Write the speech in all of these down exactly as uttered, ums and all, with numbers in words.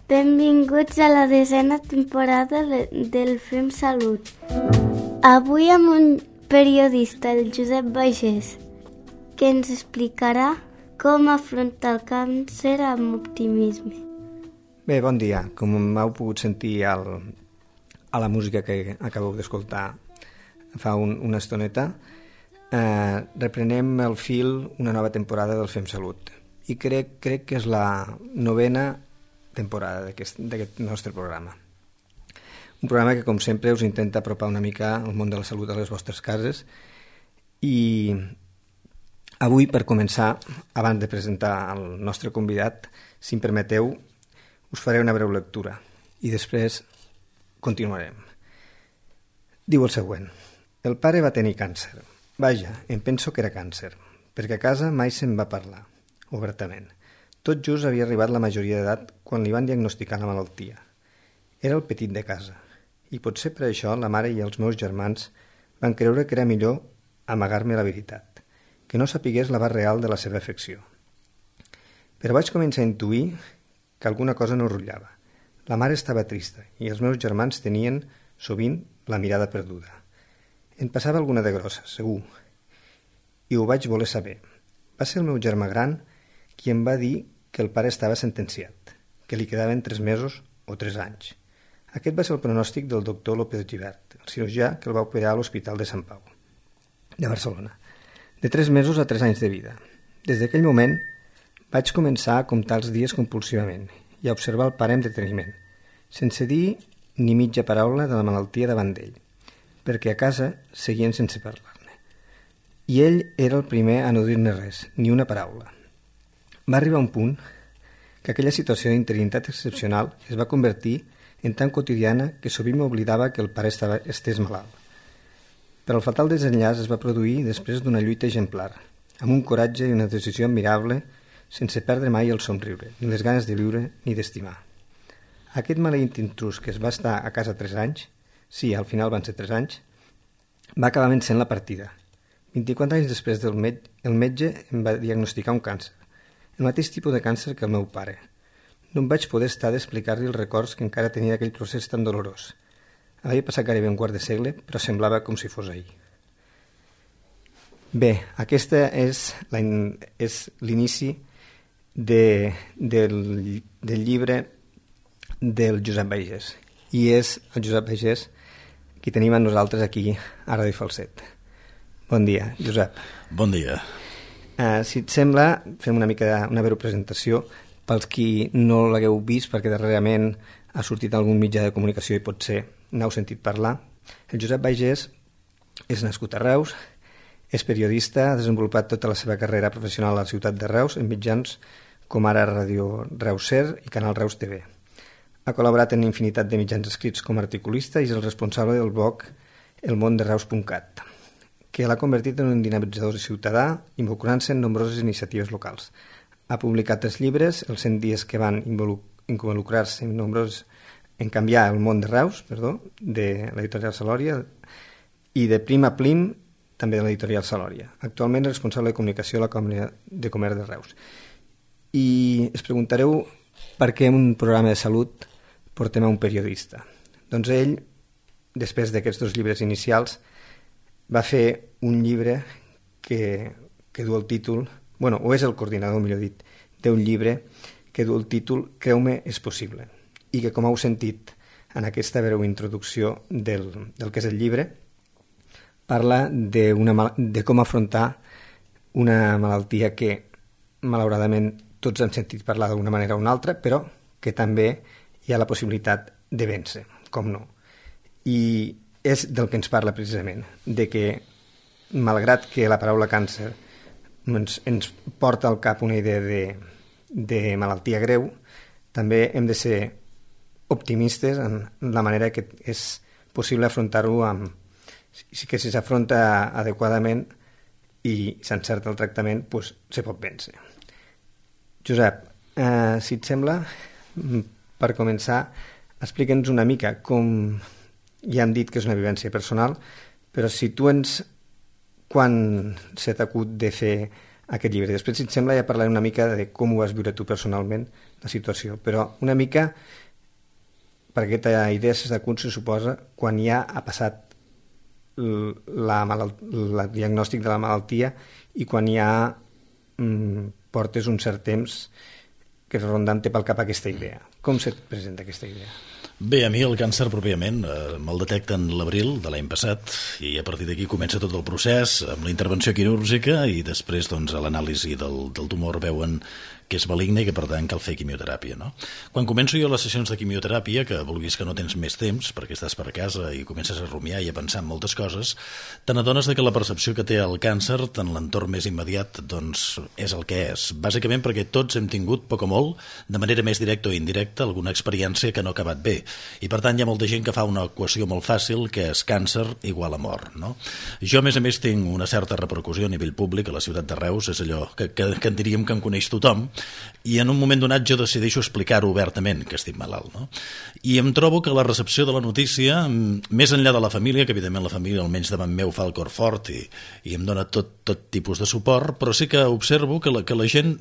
Benvinguts a la desena temporada de, del Fem Salut. Avui amb un periodista, el Josep Bagés, que ens explicarà com afrontar el càncer amb optimisme. Bé, bon dia. Com m'heu pogut sentir al, a la música que acabeu d'escoltar fa un, una estoneta, eh, reprenem el fil una nova temporada del Fem Salut. I crec, crec que és la novena temporada d'aquest nostre programa. Un programa que, com sempre, us intenta apropar una mica el món de la salut a les vostres cases. I avui, per començar, abans de presentar el nostre convidat, si em permeteu, us faré una breu lectura i després continuarem. Diu el següent. El pare va tenir càncer. Vaja, em penso que era càncer, perquè a casa mai se'n va parlar, obertament. Tot just havia arribat la majoria d'edat quan li van diagnosticar la malaltia. Era el petit de casa, i potser per això la mare i els meus germans van creure que era millor amagar-me la veritat, que no sapigués l'abast real de la seva afecció. Però vaig començar a intuir que alguna cosa no rutllava. La mare estava trista i els meus germans tenien, sovint, la mirada perduda. En passava alguna de grossa, segur, i ho vaig voler saber. Va ser el meu germà gran qui em va dir que el pare estava sentenciat, que li quedaven tres mesos o tres anys. Aquest va ser el pronòstic del doctor López Gibert, el cirurgià que el va operar a l'Hospital de Sant Pau, de Barcelona, de tres mesos a tres anys de vida. Des d'aquell moment vaig començar a comptar els dies compulsivament i a observar el pare amb deteniment, sense dir ni mitja paraula de la malaltia davant d'ell, perquè a casa seguien sense parlar-ne. I ell era el primer a no dir-ne res, ni una paraula. Va arribar un punt que aquella situació d'interinitat excepcional es va convertir en tan quotidiana que sovint m'oblidava que el pare estava estés malalt. Però el fatal desenllaç es va produir després d'una lluita exemplar, amb un coratge i una decisió admirable, sense perdre mai el somriure, ni les ganes de viure ni d'estimar. Aquest maleït intrus que es va estar a casa tres anys, sí, al final van ser tres anys, va acabar vencent la partida. vint-i-quatre anys després del metge, el metge em va diagnosticar un càncer, el mateix tipus de càncer que el meu pare. No em vaig poder estar d'explicar-li els records que encara tenia d'aquell procés tan dolorós. Havia passat gairebé un quart de segle, però semblava com si fos ahir. Bé, aquesta és, la, és l'inici de, del, del llibre del Josep Bagés. I és el Josep Bagés qui tenim amb nosaltres aquí a Ràdio Falset. Bon dia, Josep. Bon dia. Uh, si et sembla, fem una mica de, una breu presentació pels qui no l'hagueu vist, perquè darrerament ha sortit algun mitjà de comunicació i potser n'heu sentit parlar. El Josep Bagés és nascut a Reus, és periodista, ha desenvolupat tota la seva carrera professional a la ciutat de Reus en mitjans com ara Ràdio Reus Ser i Canal Reus T V. Ha col·laborat en infinitat de mitjans escrits com a articulista i és el responsable del blog elmondereus punt cat, que l'ha convertit en un dinamitzador ciutadà involucrant-se en nombroses iniciatives locals. Ha publicat tres llibres, els cent dies que van involucrar-se en nombrosos en canviar el món de Reus, perdó, de l'editorial Salòria, i de Prim a Plim, també de l'editorial Salòria. Actualment és responsable de comunicació a la Cambra de Comerç de Reus. I es preguntareu per què en un programa de salut portem a un periodista. Doncs ell, després d'aquests dos llibres inicials, va fer un llibre que, que du el títol, bueno, o és el coordinador, millor dit, d'un llibre que du el títol Creu-me, és possible, i que, com heu sentit en aquesta breu introducció del, del que és el llibre, parla de, una, de com afrontar una malaltia que, malauradament, tots hem sentit parlar d'una manera o una altra, però que també hi ha la possibilitat de vèncer, com no. I és del que ens parla precisament, de que malgrat que la paraula càncer ens, ens porta al cap una idea de, de malaltia greu, també hem de ser optimistes en la manera que és possible afrontar-ho amb, que si s'afronta adequadament i s'encerta el tractament, doncs se pot vèncer. Josep, eh, si et sembla, per començar, explica'ns una mica com... Ja hem dit que és una vivència personal, però si tu ens, quan se t'acut de fer aquest llibre. Després, si et sembla, ja parlaré una mica de com ho vas viure tu personalment, la situació, però una mica per aquesta idea de cun se suposa quan ja ha passat la malalt... el diagnòstic de la malaltia i quan ja mm, portes un cert temps que rondant pel cap aquesta idea. Com se't presenta aquesta idea? Bé, a mi el càncer pròpiament eh, me'l detecten l'abril de l'any passat i a partir d'aquí comença tot el procés amb la intervenció quirúrgica i després doncs, a l'anàlisi del, del tumor veuen que és maligne i que per tant cal fer quimioteràpia, no? Quan començo jo les sessions de quimioteràpia, que vulguis que no tens més temps perquè estàs per casa i comences a rumiar i a pensar en moltes coses, te n'adones que la percepció que té el càncer en l'entorn més immediat doncs, és el que és. Bàsicament perquè tots hem tingut, poc o molt, de manera més directa o indirecta, alguna experiència que no ha acabat bé. I per tant hi ha molta gent que fa una equació molt fàcil que és càncer igual a mort, no? Jo, a més a més, tinc una certa repercussió a nivell públic a la ciutat de Reus, és allò que, que, que en diríem que em coneix tothom, i en un moment donat jo decideixo explicar-ho obertament que estic malalt, no? I em trobo que la recepció de la notícia, més enllà de la família, que evidentment la família almenys davant meu fa el cor fort i, i em dona tot, tot tipus de suport, però sí que observo que la, que la gent,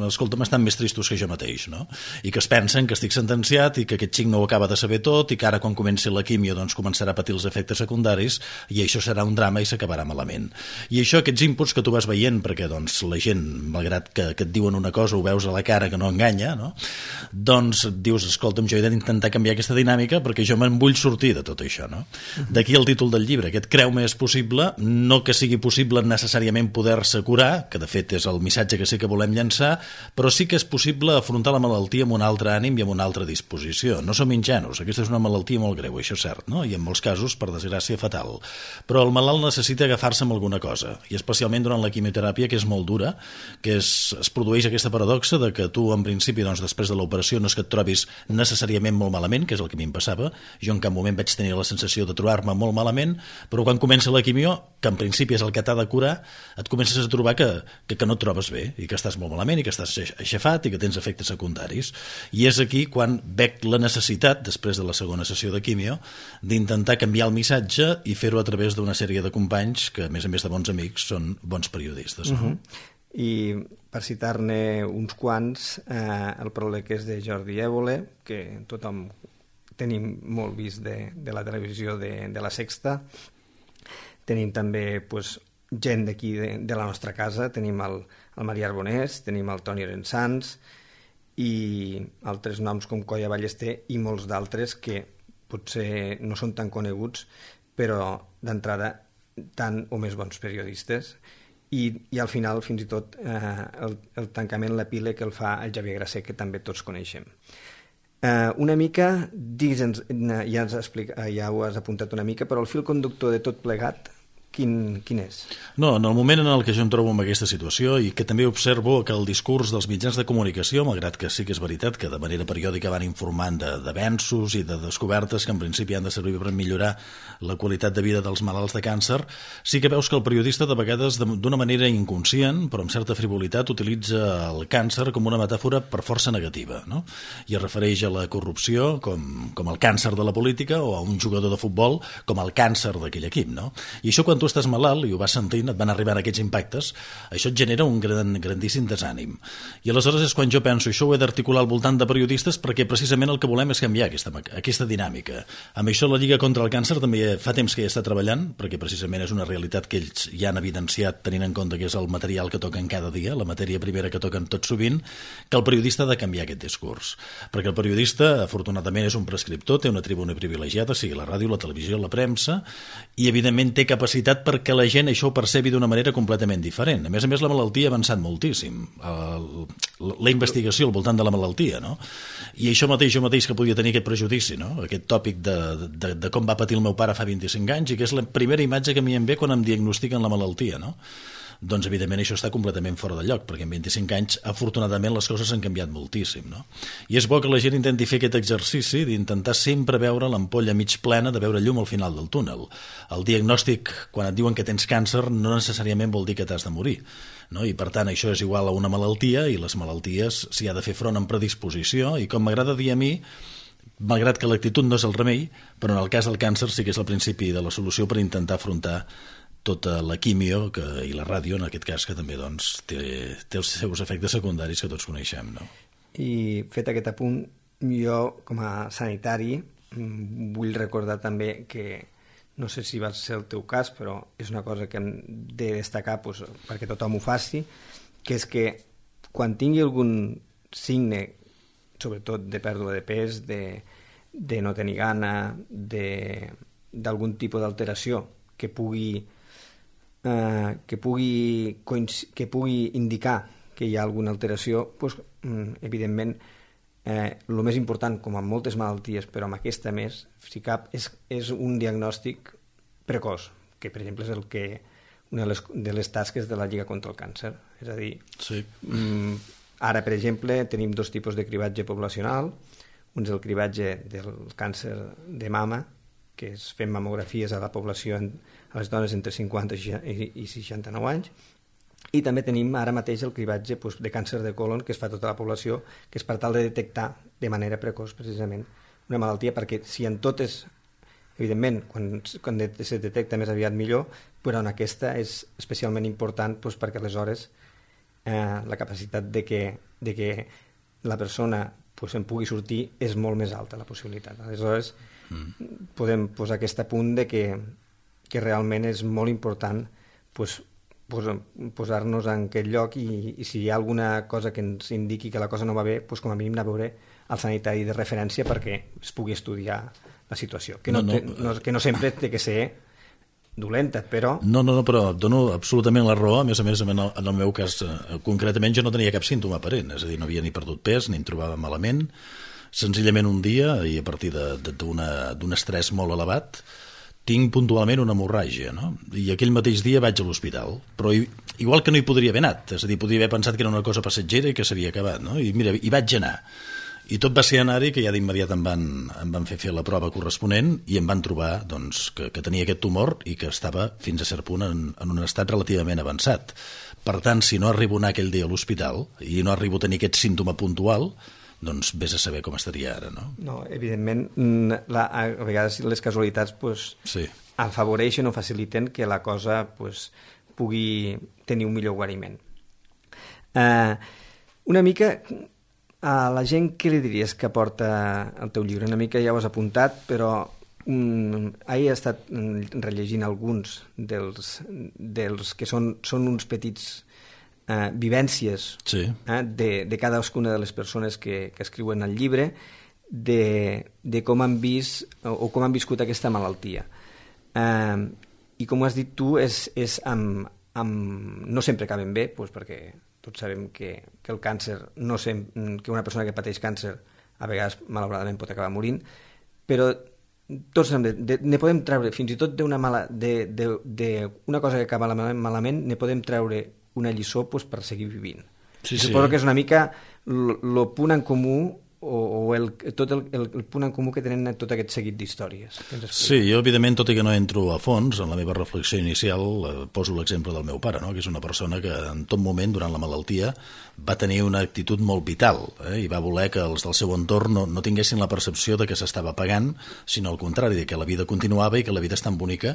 escolta'm, estan més tristos que jo mateix, no? I que es pensen que estic sentenciat i que aquest xic no ho acaba de saber tot i que ara quan comenci la quimio doncs començarà a patir els efectes secundaris i això serà un drama i s'acabarà malament. I això, aquests inputs que tu vas veient, perquè doncs la gent, malgrat que, que et diuen una cosa, ho veus a la cara que no enganya, no? Doncs dius, escolta'm, jo he d'intentar canviar aquesta dinàmica perquè jo me'n vull sortir de tot això, no? D'aquí el títol del llibre, aquest creu-me és possible, no que sigui possible necessàriament poder-se curar, que de fet és el missatge que sí que volem llançar, però sí que és possible afrontar la malaltia amb un altre ànim i amb una altra disposició. No som ingenus, aquesta és una malaltia molt greu, això és cert, no? I en molts casos, per desgràcia, fatal. Però el malalt necessita agafar-se amb alguna cosa, i especialment durant la quimioteràpia, que és molt dura, que és, es produeix aquesta paradoxa de que tu, en principi, doncs, després de l'operació no és que et trobis necessàriament molt malament, que és el que a mi em passava. Jo en cap moment vaig tenir la sensació de trobar-me molt malament, però quan comença la quimio, que en principi és el que t'ha de curar, et comences a trobar que, que, que no et trobes bé i que estàs molt malament i que estàs aixafat i que tens efectes secundaris. I és aquí quan veig la necessitat, després de la segona sessió de quimio, d'intentar canviar el missatge i fer-ho a través d'una sèrie de companys que, a més a més de bons amics, són bons periodistes. No? Uh-huh. I per citar-ne uns quants, eh, el pròleg és de Jordi Évole, que tothom tenim molt vist de, de la televisió de, de la Sexta. Tenim també pues, gent d'aquí de, de la nostra casa, tenim el, el Maria Arbonès, tenim el Toni Arensans i altres noms com Colla Ballester i molts d'altres que potser no són tan coneguts, però d'entrada tan o més bons periodistes. I, i al final, fins i tot, eh, el, el tancament, l'epíleg que el fa el Xavier Grasser, que també tots coneixem. Eh, una mica, digue'ns, ja, has explicat, ja ho has apuntat una mica, però el fil conductor de tot plegat, quin, quin és? No, en el moment en el que jo em trobo en aquesta situació i que també observo que el discurs dels mitjans de comunicació, malgrat que sí que és veritat que de manera periòdica van informant d'avenços i de descobertes que en principi han de servir per millorar la qualitat de vida dels malalts de càncer, sí que veus que el periodista de vegades d'una manera inconscient, però amb certa frivolitat, utilitza el càncer com una metàfora per força negativa, no? I es refereix a la corrupció com, com el càncer de la política o a un jugador de futbol com el càncer d'aquell equip, no? I això quan tu estàs malalt i ho vas sentint, et van arribant aquests impactes, això et genera un gran, grandíssim desànim. I aleshores és quan jo penso, això ho he d'articular al voltant de periodistes perquè precisament el que volem és canviar aquesta, aquesta dinàmica. Amb això la Lliga contra el Càncer també fa temps que ja està treballant, perquè precisament és una realitat que ells ja han evidenciat tenint en compte que és el material que toquen cada dia, la matèria primera que toquen tot sovint, que el periodista ha de canviar aquest discurs. Perquè el periodista, afortunadament, és un prescriptor, té una tribuna privilegiada, sigui la ràdio, la televisió, la premsa, i evidentment té capacitat perquè la gent això ho percebi d'una manera completament diferent. A més a més, la malaltia ha avançat moltíssim. El, la investigació al voltant de la malaltia, no? I això mateix, jo mateix que podia tenir aquest prejudici, no? Aquest tòpic de, de, de com va patir el meu pare fa vint-i-cinc anys i que és la primera imatge que a mi em ve quan em diagnostiquen la malaltia, no? Doncs evidentment això està completament fora de lloc, perquè en vint-i-cinc anys afortunadament les coses han canviat moltíssim, no? I és bo que la gent intenti fer aquest exercici d'intentar sempre veure l'ampolla mig plena, de veure llum al final del túnel. El diagnòstic, quan et diuen que tens càncer, no necessàriament vol dir que t'has de morir, no? I per tant això és igual a una malaltia i les malalties s'hi ha de fer front amb predisposició i com m'agrada dir a mi, malgrat que l'actitud no és el remei, però en el cas del càncer sí que és el principi de la solució per intentar afrontar tota la quimio que, i la ràdio, en aquest cas, que també doncs, té, té els seus efectes secundaris que tots coneixem, no? I fet aquest apunt, jo com a sanitari vull recordar també que, no sé si va ser el teu cas, però és una cosa que hem de destacar doncs, perquè tothom ho faci, que és que quan tingui algun signe, sobretot de pèrdua de pes, de, de no tenir gana, d'algun tipus d'alteració que pugui, eh, que, pugui, que pugui indicar que hi ha alguna alteració, doncs, evidentment, eh, el més important, com en moltes malalties, però amb aquesta més, si cap, és, és un diagnòstic precoç, que per exemple és el que, una de les, de les tasques de la Lliga contra el Càncer. És a dir, sí. mm, ara, per exemple, tenim dos tipus de cribatge poblacional. Un és el cribatge del càncer de mama, que es fem mamografies a la població, a les dones entre cinquanta i seixanta-nou anys, i també tenim ara mateix el cribatge doncs, de càncer de colon que es fa a tota la població, que és per tal de detectar de manera precoç precisament una malaltia, perquè si en totes, evidentment, quan, quan se detecta més aviat millor, però en aquesta és especialment important doncs, perquè aleshores eh, la capacitat de que, de que la persona doncs, en pugui sortir és molt més alta, la possibilitat. Aleshores mm. podem posar aquest punt de que, que realment és molt important doncs, posar-nos en aquest lloc i, i si hi ha alguna cosa que ens indiqui que la cosa no va bé, doncs com a mínim anar a veure el sanitari de referència perquè es pugui estudiar la situació, que no, no, no, no, que no sempre té que ser dolenta, però... No, no, no, però dono absolutament la raó, a més a més, en el, en el meu cas, eh, concretament, jo no tenia cap símptoma aparent, és a dir, no havia ni perdut pes, ni em trobava malament, senzillament un dia, i a partir d'un estrès molt elevat, tinc puntualment una hemorràgia, no? I aquell mateix dia vaig a l'hospital, però igual que no hi podria haver anat, és a dir, podria haver pensat que era una cosa passatgera i que s'havia acabat, no? I mira, hi vaig anar. I tot va ser anar-hi que ja d'immediat em van, em van fer fer la prova corresponent i em van trobar doncs, que, que tenia aquest tumor i que estava fins a cert punt en, en un estat relativament avançat. Per tant, si no arribo a anar aquell dia a l'hospital i no arribo a tenir aquest símptoma puntual, doncs vés a saber com estaria ara, no? No, evidentment, la, a vegades les casualitats pues, sí. afavoreixen o faciliten que la cosa pues, pugui tenir un millor guariment. Uh, una mica, a la gent, què li diries que porta el teu llibre? Una mica ja ho has apuntat, però um, ahir he estat rellegint alguns dels, dels que són, són uns petits... Uh, vivències sí. uh, de, de cadascuna de les persones que, que escriuen el llibre de, de com han vist o, o com han viscut aquesta malaltia. Uh, I com has dit tu, és, és amb, amb, no sempre acaben bé, doncs perquè tots sabem que, que el càncer, no sem, que una persona que pateix càncer a vegades malauradament pot acabar morint, però tots de, de, ne podem treure, fins i tot d'una mala, de, de, de una cosa que acaba malament, ne podem treure una lliçó pues, per seguir vivint. Sí, Suposo sí. que és una mica el punt en comú o, o el, tot el, el, el punt en comú que tenen tot aquest seguit d'històries. Sí, jo evidentment, tot i que no entro a fons, en la meva reflexió inicial eh, poso l'exemple del meu pare, no? Que és una persona que en tot moment, durant la malaltia, va tenir una actitud molt vital eh? i va voler que els del seu entorn no, no tinguessin la percepció de que s'estava pagant, sinó al contrari, de que la vida continuava i que la vida és tan bonica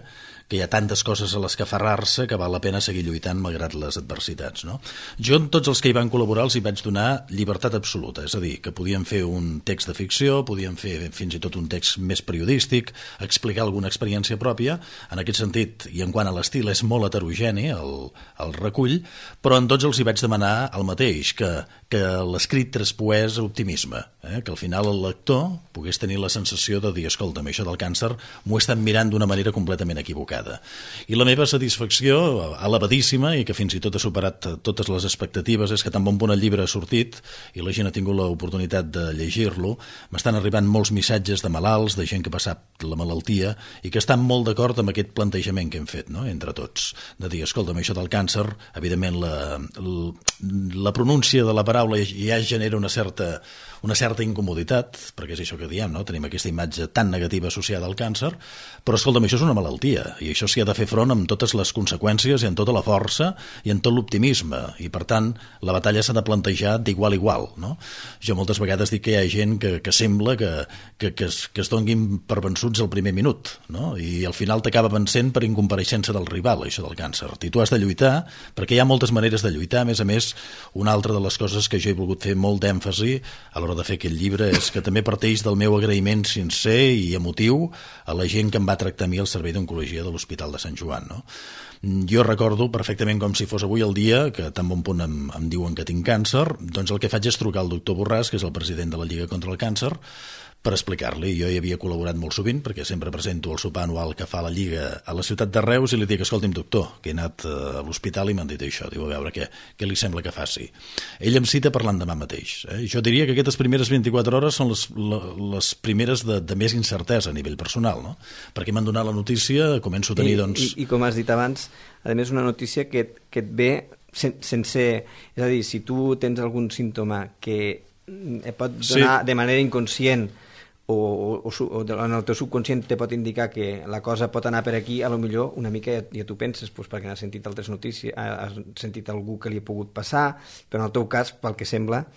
que hi ha tantes coses a les que aferrar-se que val la pena seguir lluitant malgrat les adversitats. No? Jo, tots els que hi van col·laborar, els hi vaig donar llibertat absoluta, és a dir, que podien fer un text de ficció, podien fer fins i tot un text més periodístic, explicar alguna experiència pròpia, en aquest sentit, i en quant a l'estil és molt heterogeni el, el recull, però en tots els hi vaig demanar el mateix, que, que l'escrit traspoés optimisme, eh? Que al final el lector pogués tenir la sensació de dir, escolta'm, això del càncer m'ho he estat mirant d'una manera completament equivocada. I la meva satisfacció, elevadíssima, i que fins i tot ha superat totes les expectatives, és que tan bon punt el llibre ha sortit i la gent ha tingut l'oportunitat de llegir-lo, m'estan arribant molts missatges de malalts, de gent que ha passat la malaltia i que estan molt d'acord amb aquest plantejament que hem fet, no? Entre tots, de dir, escolta'm, això del càncer, evidentment la, la, la pronúncia de la paraula paraula ja genera una certa, una certa incomoditat, perquè és això que diem, no? Tenim aquesta imatge tan negativa associada al càncer, però escolta'm, això és una malaltia, i això s'hi ha de fer front amb totes les conseqüències i amb tota la força i amb tot l'optimisme, i per tant la batalla s'ha de plantejar d'igual a igual, no? Jo moltes vegades dic que hi ha gent que, que sembla que, que, que, es, que es donguin per vençuts al primer minut, no? I al final t'acaba vencent per incompareixença del rival, això del càncer. I tu has de lluitar, perquè hi ha moltes maneres de lluitar. A més a més, una altra de les coses que jo he volgut fer molt d'èmfasi a l'hora de fer aquest llibre és que també parteix del meu agraïment sincer i emotiu a la gent que em va tractar a mi al servei d'oncologia de l'Hospital de Sant Joan, no? Jo recordo perfectament com si fos avui el dia que tan bon punt em, em diuen que tinc càncer, doncs el que faig és trucar al doctor Borràs, que és el president de la Lliga contra el Càncer, per explicar-li. Jo hi havia col·laborat molt sovint perquè sempre presento el sopar anual que fa la Lliga a la ciutat de Reus i li dic, escolti'm doctor, que he anat a l'hospital i m'han dit això, diu, a veure què, què li sembla que faci. Ell em cita per l'endemà mateix. Eh? Jo diria que aquestes primeres vint-i-quatre hores són les, les primeres de, de més incertesa a nivell personal, no? Perquè m'han donat la notícia, començo a tenir, I, doncs... I, I com has dit abans, a més una notícia que, que et ve sen, sense... És a dir, si tu tens algun símptoma que et pot donar sí. de manera inconscient o, o, o en el teu subconscient te pot indicar que la cosa pot anar per aquí, a lo millor una mica ja, ja tu penses, doncs, perquè has sentit altres notícies, has sentit algú que li ha pogut passar, però en el teu cas, pel que sembla,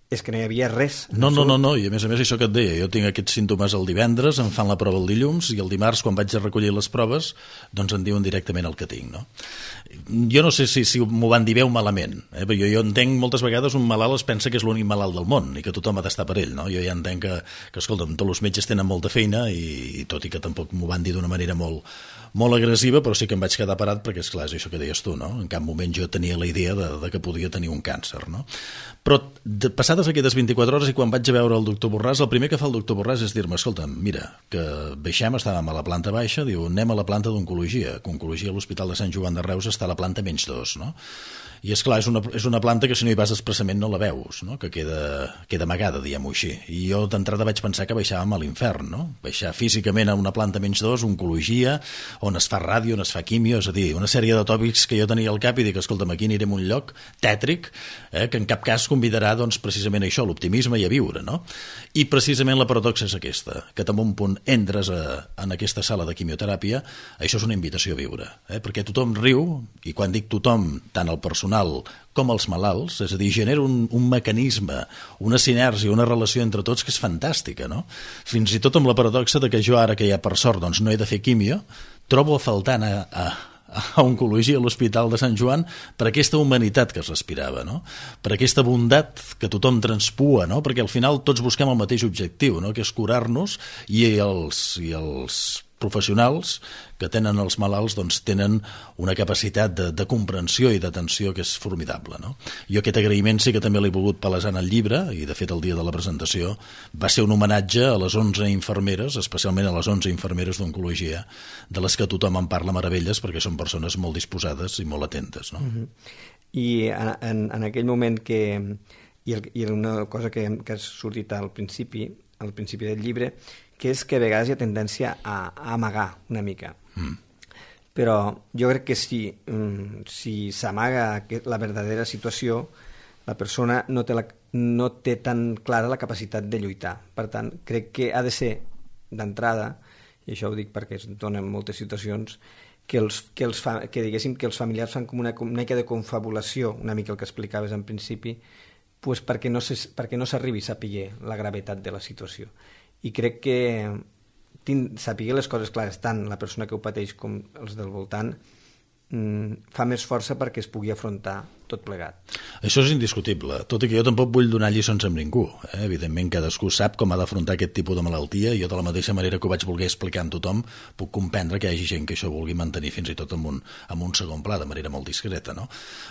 és que no hi havia res. No, no, no, no, i a més a més això que et deia, jo tinc aquests símptomes el divendres, em fan la prova el dilluns i el dimarts quan vaig a recollir les proves doncs em diuen directament el que tinc, no? Jo no sé si, si m'ho van dir bé o malament, eh? Però jo, jo entenc moltes vegades un malalt es pensa que és l'únic malalt del món i que tothom ha d'estar per ell, no? Jo ja entenc que, que escolta'm, tots els metges tenen molta feina i, i tot i que tampoc m'ho van dir d'una manera molt, molt agressiva, però sí que em vaig quedar parat perquè, esclar, és això que deies tu, no? En cap moment jo tenia la idea de, de que podia tenir un càncer, no? Però de, passades aquestes vint-i-quatre hores i quan vaig a veure el doctor Borràs, el primer que fa el doctor Borràs és dir-me, escolta'm, mira, que baixem, estàvem a la planta baixa, diu, anem a la planta d'oncologia, que oncologia a l'Hospital de Sant Joan de Reus està a la planta menys dos, no? I és clar, és una, és una planta que si no hi vas expressament no la veus, no? Que queda, queda amagada, diguem-ho així. I jo d'entrada vaig pensar que baixàvem a l'infern, no? Baixar físicament a una planta menys dos, oncologia, on es fa ràdio, on es fa quimio, és a dir, una sèrie de tòpics que jo tenia al cap i dic, escolta'm, aquí anirem a un lloc tètric, eh, que en cap cas convidarà doncs, precisament això, l'optimisme i a viure, no? I precisament la paradoxa és aquesta, que també un punt entres a, en aquesta sala de quimioteràpia, això és una invitació a viure, eh? Perquè tothom riu, i quan dic tothom, tant el personal com els malalts, és a dir, genera un, un mecanisme, una sinergia, una relació entre tots que és fantàstica, no? Fins i tot amb la paradoxa de que jo ara que ja per sort doncs, no he de fer quimio, trobo a faltar a, a, a oncologia a l'Hospital de Sant Joan per aquesta humanitat que es respirava, no? Per aquesta bondat que tothom transpua, no? Perquè al final tots busquem el mateix objectiu, no? Que és curar-nos i els, i els professionals que tenen els malalts doncs tenen una capacitat de, de comprensió i d'atenció que és formidable, no? Jo aquest agraïment sí que també l'he volgut palesar en el llibre i de fet el dia de la presentació va ser un homenatge a les onze infermeres, especialment a les onze infermeres d'oncologia, de les que tothom en parla meravelles perquè són persones molt disposades i molt atentes, no? Uh-huh. I en, en, en aquell moment que i, el, i una cosa que, que ha sortit al principi al principi del llibre, que és que a vegades hi ha tendència a, a amagar una mica. Mm. Però jo crec que si, um, si s'amaga la verdadera situació, la persona no té, la, no té tan clara la capacitat de lluitar. Per tant, crec que ha de ser d'entrada, i això ho dic perquè es donen moltes situacions, que, els, que, els fa, que diguéssim que els familiars fan com una, una mica de confabulació, una mica el que explicaves en principi, pues perquè no s'arribi a saber la gravetat de la situació. I crec que saber les coses clares, tant la persona que ho pateix com els del voltant, fa més força perquè es pugui afrontar tot plegat. Això és indiscutible, tot i que jo tampoc vull donar lliçons amb ningú. Eh? Evidentment, cadascú sap com ha d'afrontar aquest tipus de malaltia i jo de la mateixa manera que ho vaig voler explicar amb tothom puc comprendre que hi hagi gent que això vulgui mantenir fins i tot en un, en un segon pla, de manera molt discreta, no?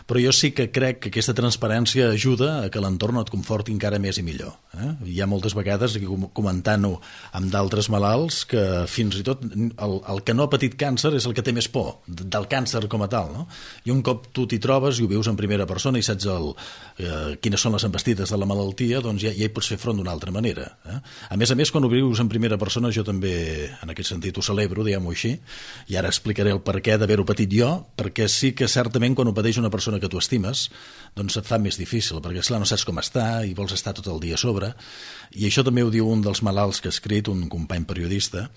Però jo sí que crec que aquesta transparència ajuda a que l'entorn et conforti encara més i millor. Eh? Hi ha moltes vegades, comentant-ho amb d'altres malalts, que fins i tot el, el que no ha patit càncer és el que té més por del càncer com a tal, no? I un cop tu t'hi trobes i ho vius en primera persona i saps el, eh, quines són les embestides de la malaltia, doncs ja, ja hi pots fer front d'una altra manera. Eh? A més a més, quan ho vius en primera persona, jo també, en aquest sentit, ho celebro, diguem-ho així, i ara explicaré el perquè d'haver-ho patit jo, perquè sí que certament quan ho pateix una persona que tu estimes, doncs et fa més difícil, perquè esclar, no saps com està i vols estar tot el dia a sobre. I això també ho diu un dels malalts que ha escrit, un company periodista,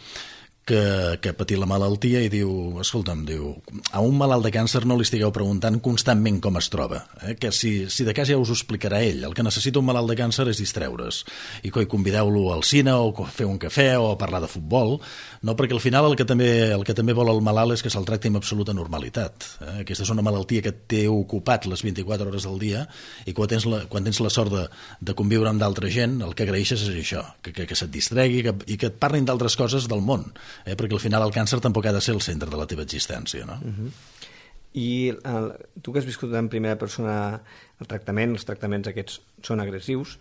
que, que ha patit la malaltia i diu, escolta'm, diu, a un malalt de càncer no li estigueu preguntant constantment com es troba, eh? Que si, si de cas ja us ho explicarà ell. El que necessita un malalt de càncer és distreure's i coi, convideu-lo al cine o fer un cafè o parlar de futbol, no? Perquè al final el que també, el que també vol el malalt és que se'l tracti amb absoluta normalitat. Eh? Aquesta és una malaltia que té ocupat les vint-i-quatre hores del dia i quan tens la, quan tens la sort de, de conviure amb d'altra gent, el que agraeixes és això, que, que, que se't distregui que, i que et parlin d'altres coses del món. Eh, perquè al final el càncer tampoc ha de ser el centre de la teva existència, no? Uh-huh. I el, tu que has viscut en primera persona el tractament, els tractaments aquests són agressius,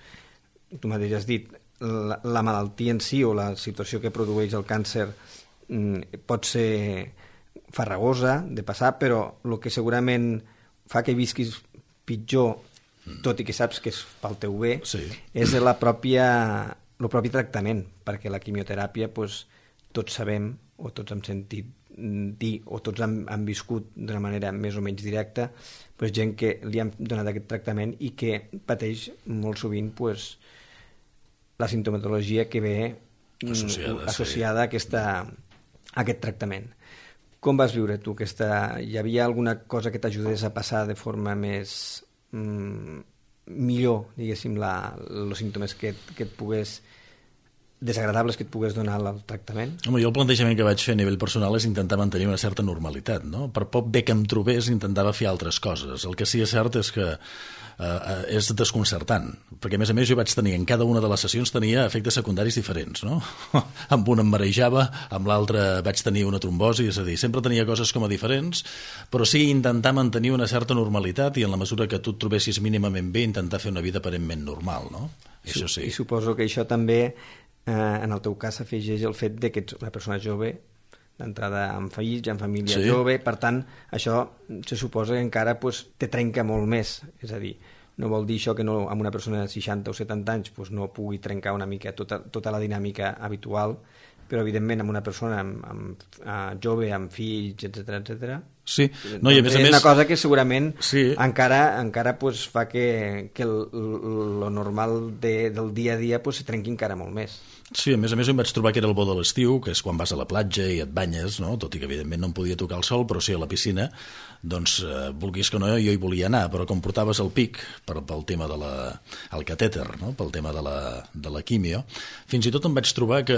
tu mateix has dit, la, la malaltia en si o la situació que produeix el càncer mm, pot ser farragosa de passar, però el que segurament fa que visquis pitjor, mm. tot i que saps que és pel teu bé, sí. és la pròpia, el propi tractament, perquè la quimioteràpia, doncs, tots sabem, o tots hem sentit dir, o tots han, han viscut d'una manera més o menys directa, pues, gent que li han donat aquest tractament i que pateix molt sovint pues, la sintomatologia que ve associada, associada sí. a, aquesta, a aquest tractament. Com vas viure tu aquesta... Hi havia alguna cosa que t'ajudés a passar de forma més... Mm, millor, diguéssim, la, els símptomes que, que et pogués... desagradables que et pogués donar el tractament? Home, jo el plantejament que vaig fer a nivell personal és intentar mantenir una certa normalitat, no? Per poc bé que em trobés intentava fer altres coses. El que sí és cert és que eh, és desconcertant, perquè a més a més jo vaig tenir, en cada una de les sessions tenia efectes secundaris diferents, no? Amb un em marejava, amb l'altre vaig tenir una trombosi, és a dir, sempre tenia coses com a diferents, però sí intentar mantenir una certa normalitat i en la mesura que tu et trobessis mínimament bé intentar fer una vida aparentment normal, no? I, això sí. I suposo que això també Eh, en el teu cas s'afegeix el fet de que ets una persona jove, d'entrada amb fills, amb família sí. jove, per tant, això se suposa que encara pues, te trenca molt més, és a dir, no vol dir això que no, amb una persona de seixanta o setanta anys pues, no pugui trencar una mica tota, tota la dinàmica habitual, però evidentment amb una persona amb, amb, uh, jove, amb fills, etcètera, etcètera, sí. No, i a més a és més... una cosa que segurament sí. encara, encara pues, fa que, que el, lo normal de, del dia a dia pues, se trenqui encara molt més. Sí, a més a més em vaig trobar que era el bo de l'estiu, que és quan vas a la platja i et banyes, no? Tot i que evidentment no em podia tocar el sol, però sí a la piscina, doncs eh, vulguis que no, jo hi volia anar, però com portaves el pic per, pel tema de la, el catèter, no? Pel tema de la, de la quimio, fins i tot em vaig trobar que,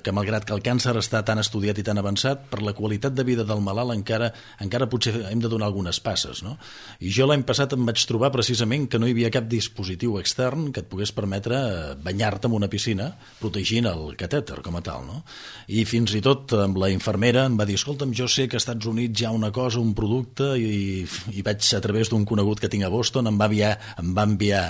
que malgrat que el càncer està tan estudiat i tan avançat, per la qualitat de vida del malalt encara, encara potser hem de donar algunes passes, no? I jo l'any passat em vaig trobar precisament que no hi havia cap dispositiu extern que et pogués permetre banyar-te en una piscina, protegir el catèter com a tal, no? I fins i tot amb la infermera em va dir, escolta'm, jo sé que als Estats Units hi ha una cosa, un producte, i, i vaig a través d'un conegut que tinc a Boston, em va, enviar, em va enviar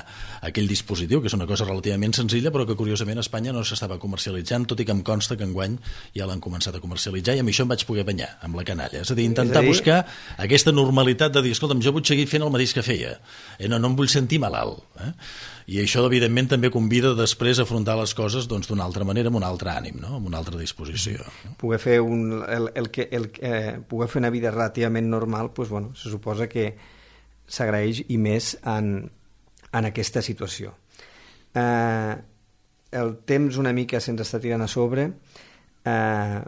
aquell dispositiu, que és una cosa relativament senzilla, però que curiosament a Espanya no s'estava comercialitzant, tot i que em consta que enguany ja l'han començat a comercialitzar, i amb això em vaig poder banyar, amb la canalla. És a dir, intentar a dir... buscar aquesta normalitat de dir, escolta'm, jo vull seguir fent el mateix que feia, eh, no, no em vull sentir malalt, eh? I això, evidentment, també convida després a afrontar les coses doncs, d'una altra manera, amb un altre ànim, no? Amb una altra disposició. Poder fer, un, el, el que, el, eh, poder fer una vida relativament normal, doncs, bueno, se suposa que s'agraeix i més en, en aquesta situació. Eh, el temps una mica se'ns està tirant a sobre. Eh,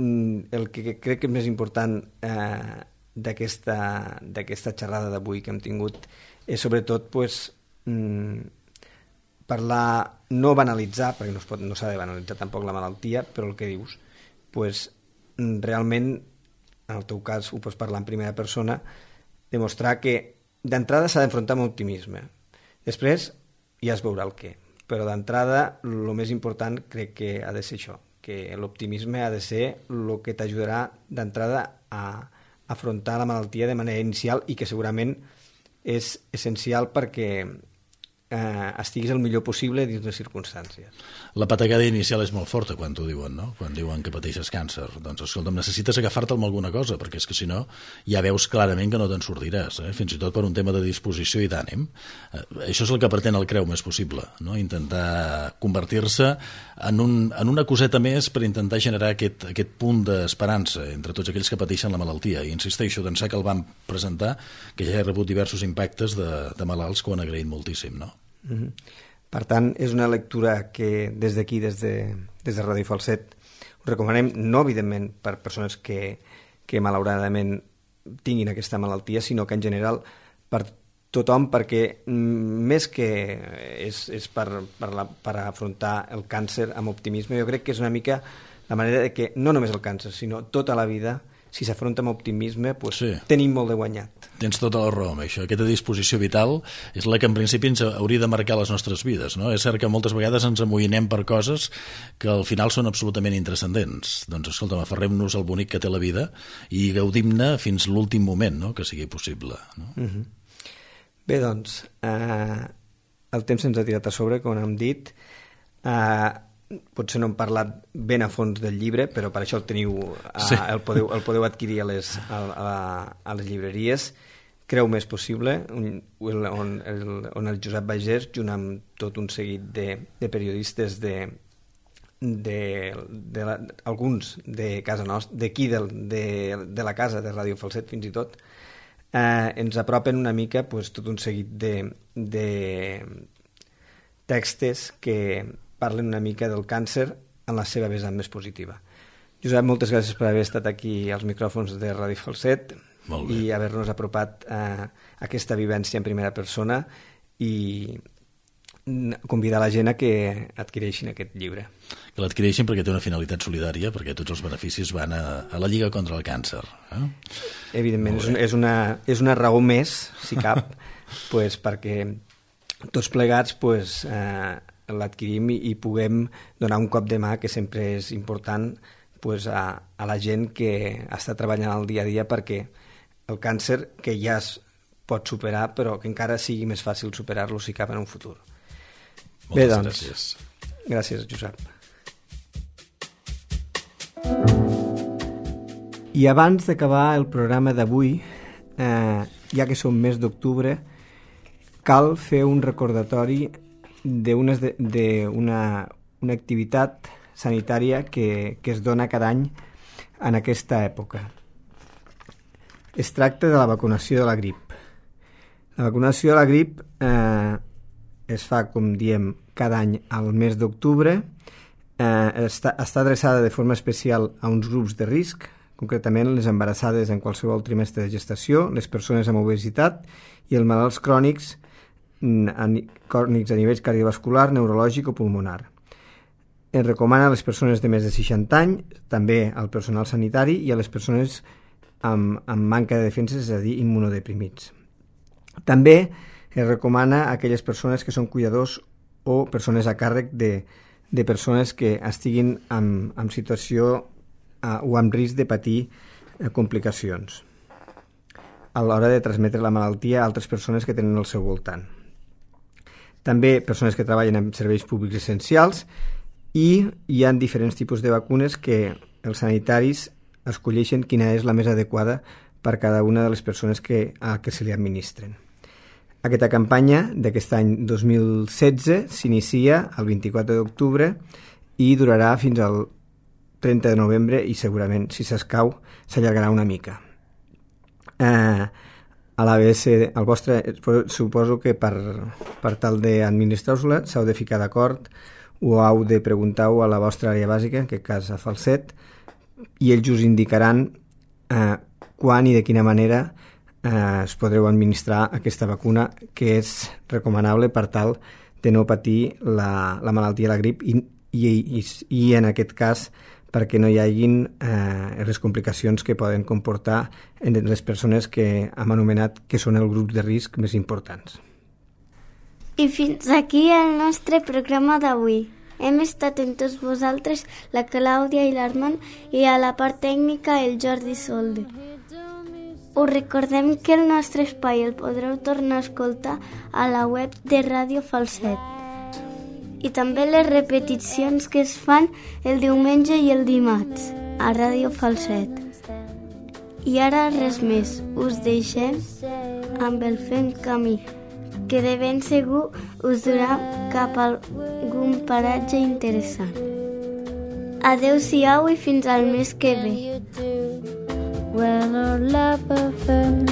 el que crec que és més important eh, d'aquesta d'aquesta xerrada d'avui que hem tingut és sobretot pues, Mm, parlar, no banalitzar, perquè no, es pot, no s'ha de banalitzar tampoc la malaltia, però el que dius, pues, realment, en el teu cas ho pots parlar en primera persona, demostrar que d'entrada s'ha d'enfrontar amb optimisme. Després ja es veurà el què, però d'entrada el més important crec que ha de ser això, que l'optimisme ha de ser el que t'ajudarà d'entrada a afrontar la malaltia de manera inicial i que segurament és essencial perquè eh, estiguis el millor possible dins les circumstàncies. La patacada inicial és molt forta quan t'ho diuen, no? Quan diuen que pateixes càncer. Doncs, escolta'm, necessites agafar-te amb alguna cosa, perquè és que si no ja veus clarament que no te'n sortiràs, eh? Fins i tot per un tema de disposició i d'ànim. Eh, això és el que pretén el Creu Més Possible, no? Intentar convertir-se en, un, en una coseta més per intentar generar aquest, aquest punt d'esperança entre tots aquells que pateixen la malaltia. I insisteixo, d'ençà que el vam presentar, que ja he rebut diversos impactes de, de malalts que ho han agraït moltíssim, no? Mm-hmm. Per tant, és una lectura que des d'aquí, des de, des de Ràdio Falset, us recomanem, no evidentment per persones que, que malauradament tinguin aquesta malaltia, sinó que en general per tothom, perquè més que és, és per, per, la, per afrontar el càncer amb optimisme, jo crec que és una mica la manera de que no només el càncer, sinó tota la vida, si s'afronta amb optimisme, pues, sí, tenim molt de guanyat. Tens tota la raó amb això. Aquesta disposició vital és la que en principi ens hauria de marcar les nostres vides, no? És cert que moltes vegades ens amoïnem per coses que al final són absolutament intranscendents. Doncs escolta'm, aferrem-nos al bonic que té la vida i gaudim-ne fins l'últim moment, no?, que sigui possible, no? Uh-huh. Bé, doncs, eh, el temps se'ns ha tirat a sobre, com hem dit. Eh, potser no hem parlat ben a fons del llibre, però per això el teniu, a, sí. el, podeu, el podeu adquirir a les, a, a, a les llibreries. Creu Més Possible, on, on, el, on el Josep Bagés, junt amb tot un seguit de, de periodistes de, de, de la, alguns de casa nostra, d'aquí de, de, de la casa de Ràdio Falset fins i tot, eh, ens apropen una mica pues, tot un seguit de, de textos que parlen una mica del càncer en la seva vessant més positiva. Josep, moltes gràcies per haver estat aquí als micròfons de Ràdio Falset i haver-nos apropat a aquesta vivència en primera persona i convidar la gent a que adquireixin aquest llibre. Que l'adquireixin perquè té una finalitat solidària, perquè tots els beneficis van a, a la Lliga contra el Càncer. Eh? Evidentment, és, és, una, és una raó més, si cap, pues, perquè tots plegats pues, eh, l'adquirim i, i puguem donar un cop de mà, que sempre és important, pues, a, a la gent que està treballant al dia a dia perquè el càncer, que ja es pot superar, però que encara sigui més fàcil superar-lo si cap en un futur. Moltes Bé, doncs, gràcies. Gràcies, Josep. I abans d'acabar el programa d'avui, eh, ja que som mes d'octubre, cal fer un recordatori d'una una, una activitat sanitària que, que es dona cada any en aquesta època. Es tracta de la vacunació de la grip. La vacunació de la grip eh, es fa, com diem, cada any al mes d'octubre. Eh, està, està adreçada de forma especial a uns grups de risc, concretament les embarassades en qualsevol trimestre de gestació, les persones amb obesitat i els malalts crònics a, crònics a nivell cardiovascular, neurològic o pulmonar. Es recomana a les persones de més de seixanta anys, també al personal sanitari i a les persones amb, amb manca de defenses, és a dir, immunodeprimits. També es recomana a aquelles persones que són cuidadors o persones a càrrec de, de persones que estiguin en, en situació eh, o amb risc de patir eh, complicacions a l'hora de transmetre la malaltia a altres persones que tenen al seu voltant. També persones que treballen en serveis públics essencials, i hi ha diferents tipus de vacunes que els sanitaris escolleixen quina és la més adequada per cada una de les persones que, a que se li administren. Aquesta campanya d'aquest any dos mil setze s'inicia el vint-i-quatre d'octubre i durarà fins al trenta de novembre i segurament, si s'escau, s'allargarà una mica. Eh, a l'A B S, el vostre, suposo que per, per tal d'administrar-vos-la s'heu de ficar d'acord o heu de preguntar-ho a la vostra àrea bàsica, en aquest cas a Falset, i ells us indicaran eh, quan i de quina manera eh, es podreu administrar aquesta vacuna, que és recomanable per tal de no patir la, la malaltia de la grip i, i, i, i en aquest cas perquè no hi hagin eh, les complicacions que poden comportar en les persones que hem anomenat que són el grup de risc més importants. I fins aquí el nostre programa d'avui. Hem estat amb tots vosaltres, la Clàudia i l'Armand, i a la part tècnica el Jordi Solde. Us recordem que el nostre espai el podreu tornar a escoltar a la web de Ràdio Falset. I també les repeticions que es fan el diumenge i el dimarts a Ràdio Falset. I ara res més, us deixem amb el Fent Camí, que de ben segur us durà cap a algun paratge interessant. Adeu-siau i fins al mes que ve. When our love affair